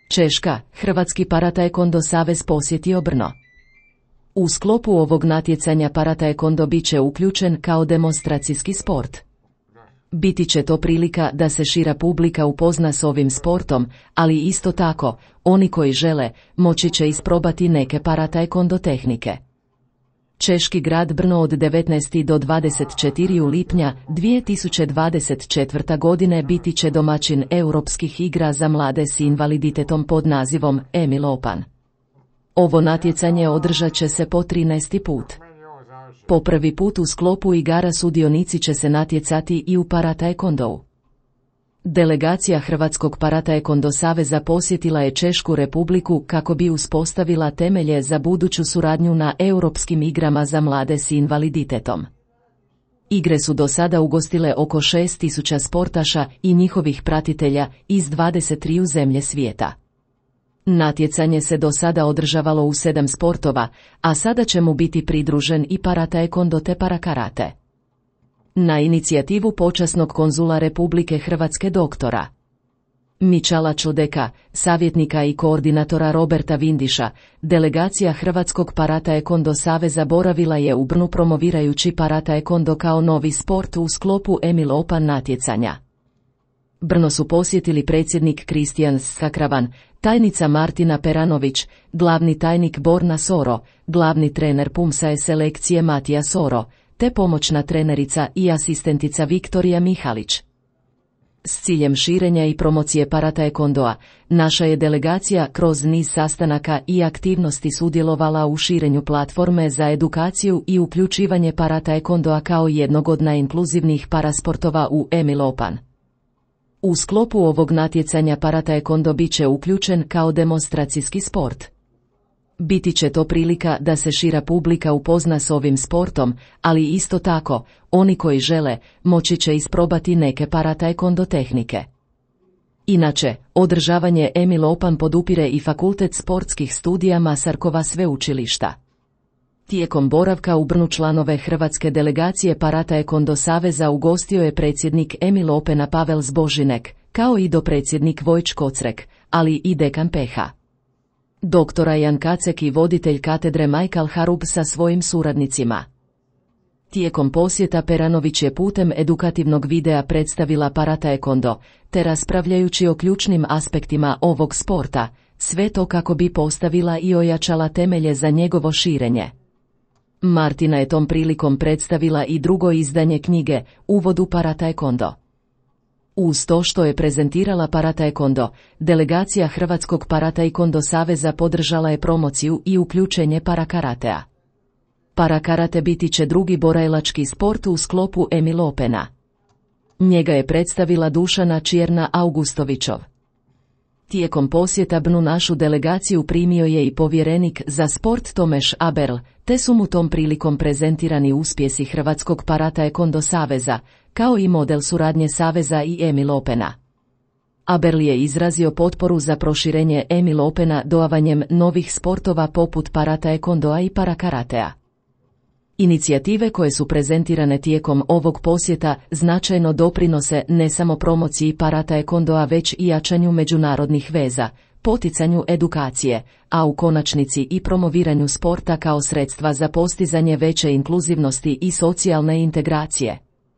Češka, Hrvatski parataekwondo savez posjetio Brno. U sklopu ovog natjecanja parataekwondo bit će uključen kao demonstracijski sport. Biti će to prilika da se šira publika upozna s ovim sportom, ali isto tako, oni koji žele, moći će isprobati neke parataekwondo tehnike. Češki grad Brno od 19. do 24. lipnja 2024. godine biti će domaćin Europskih igra za mlade s invaliditetom pod nazivom Emil Opan. Ovo natjecanje održat će se po 13. put. Po prvi put u sklopu igara sudionici će se natjecati i u parataekwondou. Delegacija Hrvatskog parataekwondo saveza posjetila je Češku Republiku kako bi uspostavila temelje za buduću suradnju na Europskim igrama za mlade s invaliditetom. Igre su do sada ugostile oko 6.000 sportaša i njihovih pratitelja iz 23 zemlje svijeta. Natjecanje se do sada održavalo u 7 sportova, a sada će mu biti pridružen i parataekwondo te parakarate. Na inicijativu počasnog konzula Republike Hrvatske doktora Mičala Čodeka, savjetnika i koordinatora Roberta Vindiša, delegacija Hrvatskog parataekwondo saveza boravila je u Brnu promovirajući parataekwondo kao novi sport u sklopu Emil Opan natjecanja. Brno su posjetili predsjednik Kristijan Skakravan, tajnica Martina Peranović, glavni tajnik Borna Soro, glavni trener Pumsa selekcije Matija Soro, te pomoćna trenerica i asistentica Viktorija Mihalić. S ciljem širenja i promocije parataekwondoa, naša je delegacija kroz niz sastanaka i aktivnosti sudjelovala u širenju platforme za edukaciju i uključivanje parataekwondoa kao jednog od najinkluzivnijih parasportova u Emil Opan. U sklopu ovog natjecanja parataekwondo bit će uključen kao demonstracijski sport. Biti će to prilika da se šira publika upozna s ovim sportom, ali isto tako, oni koji žele, moći će isprobati neke parataekwondo tehnike. Inače, održavanje Emil Opan podupire i Fakultet sportskih studija Masarkova sveučilišta. Tijekom boravka u Brnu članove Hrvatske delegacije parataekwondo saveza ugostio je predsjednik Emil Opena Pavel Zbožinek, kao i dopredsjednik Vojč Kocrek, ali i dekan PH. Doktora Jan Kacek i voditelj katedre Michael Harub sa svojim suradnicima. Tijekom posjeta Peranović je putem edukativnog videa predstavila parataekwondo, te raspravljajući o ključnim aspektima ovog sporta, sve to kako bi postavila i ojačala temelje za njegovo širenje. Martina je tom prilikom predstavila i drugo izdanje knjige, Uvod u parataekwondo. Uz to što je prezentirala parataekwondo, delegacija Hrvatskog parataekwondo saveza podržala je promociju i uključenje parakaratea. Parakarate biti će drugi borilački sport u sklopu Emil Opena. Njega je predstavila Dušana Čierna Augustovićov. Tijekom posjeta Brnu našu delegaciju primio je i povjerenik za sport Tomeš Aberl, te su mu tom prilikom prezentirani uspjesi Hrvatskog parataekwondo saveza, kao i model suradnje saveza i Emil Opena. Aberl je izrazio potporu za proširenje Emil Opena dodavanjem novih sportova poput parataekwondoa i parakaratea. Inicijative koje su prezentirane tijekom ovog posjeta značajno doprinose ne samo promociji parataekwondoa već i jačanju međunarodnih veza, poticanju edukacije, a u konačnici i promoviranju sporta kao sredstva za postizanje veće inkluzivnosti i socijalne integracije.